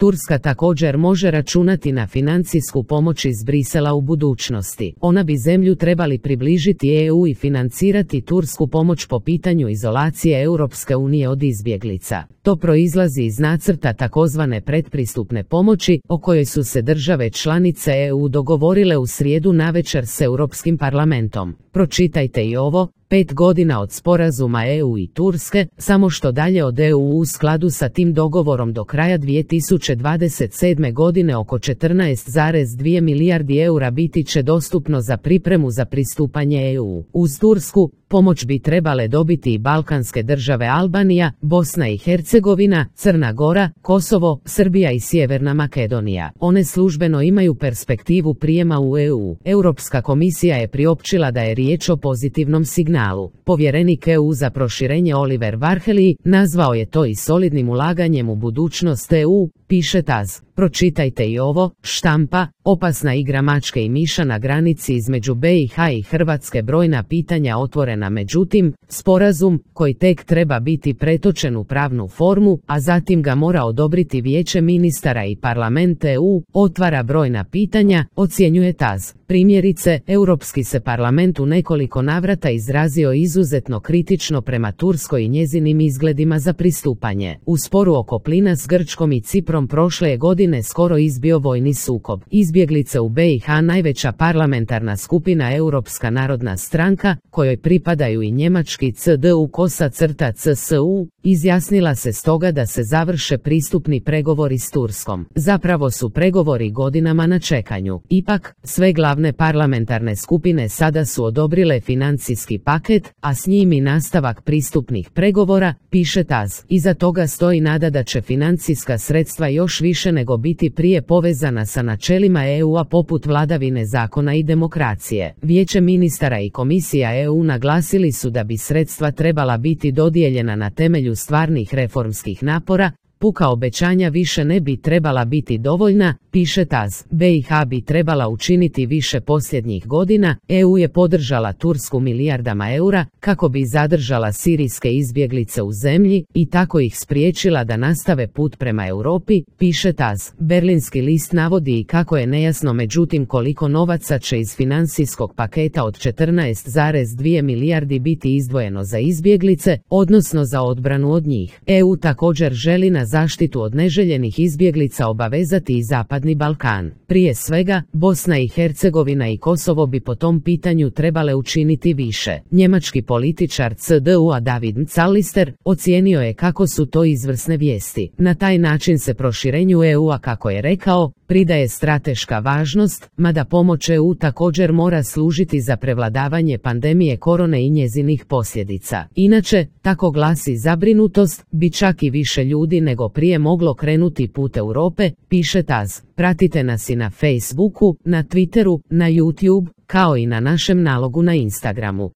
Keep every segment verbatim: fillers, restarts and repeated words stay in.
Turska također može računati na financijsku pomoć iz Brisela u budućnosti. Ona bi zemlju trebali približiti E U i financirati tursku pomoć po pitanju izolacije Europske unije od izbjeglica. To proizlazi iz nacrta takozvane pretpristupne pomoći, o kojoj su se države članice E U dogovorile u srijedu navečer s Europskim parlamentom. Pročitajte i ovo. Pet godina od sporazuma E U i Turske, samo što dalje od E U. U skladu sa tim dogovorom do kraja dvije tisuće dvadeset sedme godine oko četrnaest zarez dvije milijardi eura biti će dostupno za pripremu za pristupanje E U. Uz Tursku, pomoć bi trebale dobiti i balkanske države Albanija, Bosna i Hercegovina, Crna Gora, Kosovo, Srbija i Sjeverna Makedonija. One službeno imaju perspektivu prijema u E U. Europska komisija je priopćila da je riječ o pozitivnom signalu. Povjerenik E U za proširenje Oliver Varhelyi nazvao je to i solidnim ulaganjem u budućnost E U, piše T A Z. Pročitajte i ovo. Štampa, opasna igra mačke i miša na granici između B i H i Hrvatske, brojna pitanja otvorena. Međutim, sporazum, koji tek treba biti pretočen u pravnu formu, a zatim ga mora odobriti Vijeće ministara i Parlament E U, otvara brojna pitanja, ocjenjuje T A Z. Primjerice, Europski se parlament u nekoliko navrata izrazio izuzetno kritično prema Turskoj i njezinim izgledima za pristupanje. U sporu oko plina s Grčkom i Ciprom prošle je godine skoro izbio vojni sukob. Izbjeglice u B i H, najveća parlamentarna skupina Europska narodna stranka, kojoj pripadaju i njemački C D U kosa crta C S U, izjasnila se stoga da se završe pristupni pregovori s Turskom. Zapravo su pregovori godinama na čekanju. Ipak, sve glavne parlamentarne skupine sada su odobrile financijski paket, a s njim i nastavak pristupnih pregovora, piše T A Z. Iza toga stoji nada da će financijska sredstva još više nego biti prije povezana sa načelima E U-a poput vladavine zakona i demokracije. Vijeće ministara i Komisija E U naglasili su da bi sredstva trebala biti dodijeljena na temelju stvarnih reformskih napora. Puka obećanja više ne bi trebala biti dovoljna, piše T A Z. B i H bi trebala učiniti više posljednjih godina. E U je podržala Tursku milijardama eura kako bi zadržala sirijske izbjeglice u zemlji i tako ih spriječila da nastave put prema Europi, piše T A Z. Berlinski list navodi i kako je nejasno međutim koliko novaca će iz financijskog paketa od četrnaest zarez dvije milijardi biti izdvojeno za izbjeglice, odnosno za odbranu od njih. E U također želi na zaštitu od neželjenih izbjeglica obavezati i Zapadni Balkan. Prije svega, Bosna i Hercegovina i Kosovo bi po tom pitanju trebale učiniti više. Njemački političar C D U-a David Callister ocijenio je kako su to izvrsne vijesti. Na taj način se proširenju E U-a, kako je rekao, pridaje strateška važnost, mada pomoć E U također mora služiti za prevladavanje pandemije korone i njezinih posljedica. Inače, tako glasi zabrinutost, bi čak i više ljudi nego prije moglo krenuti put Europe, piše T A Z. Pratite nas i na Facebooku, na Twitteru, na YouTube, kao i na našem nalogu na Instagramu.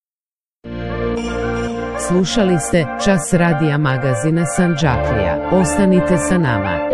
Slušali ste Čas radija magazina Sandžaklija. Ostanite sa nama.